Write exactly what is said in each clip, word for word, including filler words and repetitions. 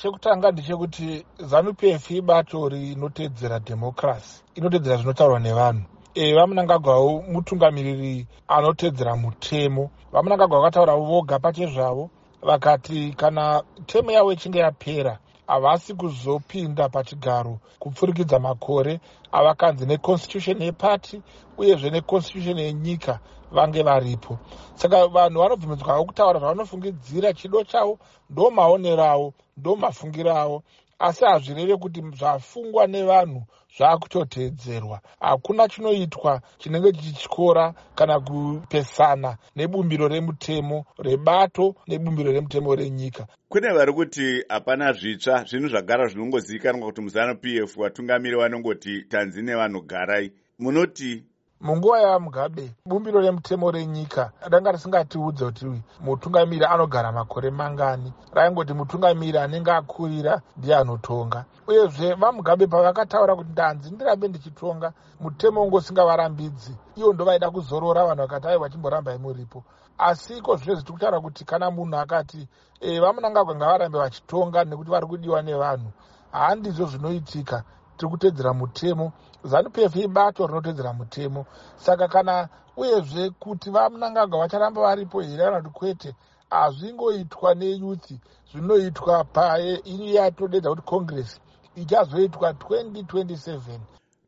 Chekutanga ndechekuti ZANU P F ibato rinotedzera dhemokirasi, inotedzera zvinotaurwa nevanhu. e, vamunangagwawo mutungamiriri anotedzera mutemo. VaMunangagwa vakataura voga pachezvavo, vakati kana term yavo ichinge yapera, havasi kuzopinda pachigaro kupfurikidza makore avakanzi neconstitution yepati uyezve neconstitution yenyika vange varipo. Saka vanhu vanobvumidzwawo kutaura zvavanofungidzira, chido chavo, ndo maonero avo, ndo mafungiro avo, asi hazvireve kuti zvafungwa nevanhu zvaakutoteedzerwa. Hakuna chinoitwa chinenge chichityora kana kupesana nebumbiro remutemo rebato nebumbiro remutemo renyika. Kune vari kuti hapana zvitsva, zvinhu zvagara zvinongozivikanwa kuti muZANU P F vatungamiri vanongoti tanzi nevanhu garai. Munoti? Munguva yaMugabe, bumbiro remutemo renyika ranga risingatiudze kuti mutungamiri anogara makore mangani. Raingoti mutungamiri anenge akurira ndiye anotonga. Uyezve VaMugabe pavakataura kuti ndanzi ndirambe ndichitonga, mutemo unge usingavarambidzi. Ivo ndo vaida kuzorora, vanhu vakati aiwa, chimborambai muripo. Asi iko zvinezvi tiri kutaura kuti kana munhu akati e, VaMunangagwa ngavarambe vachitonga nekuti vari kudiwa nevanhu, handizvo zvinoitika. Tiri kutedzera mutemo. ZANU P F ibato rinotedzera mutemo. Saka kana uyezve kuti VaMunangagwa vacharamba varipo here kana kuti kwete, hazvingoitwa neyouth, zvinoitwa paiyatodedza kuti congress ichazoitwa twenty twenty-seven.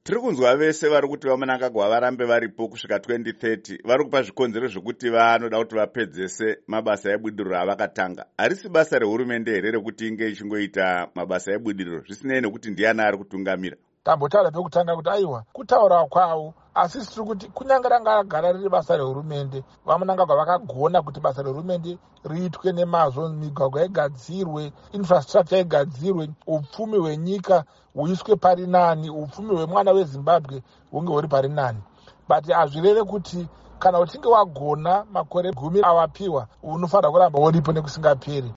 Tiri kunzwa vese vari kuti VaMunangagwa varambe varipo kusvika twenty thirty vari kupa zvikonzero zvekuti vanoda kuti vapedzese mabasa ebudiriro avakatanga. Harisi basa rehurumende here rekuti inge ichingoita mabasa ebudiriro zvisinei nekuti ndiani ari kutungamira? Tambotaura pekutanga kuti aiwa, kutaura kwavo, asi tiri kuti kunyange ranga ragara riri basa rehurumende, VaMunangagwa vakagona kuti basa rehurumende riitwe nemazvo, migwagwa igadzirwe, infrastructure igadzirwe, upfumi hwenyika huiswe pari nani, upfumi hwemwana weZimbabwe hunge huri pari nani. But hazvireve kuti kana uchinge wagona makore gumi awapiwa unofanira kuramba uripo nekusingaperi.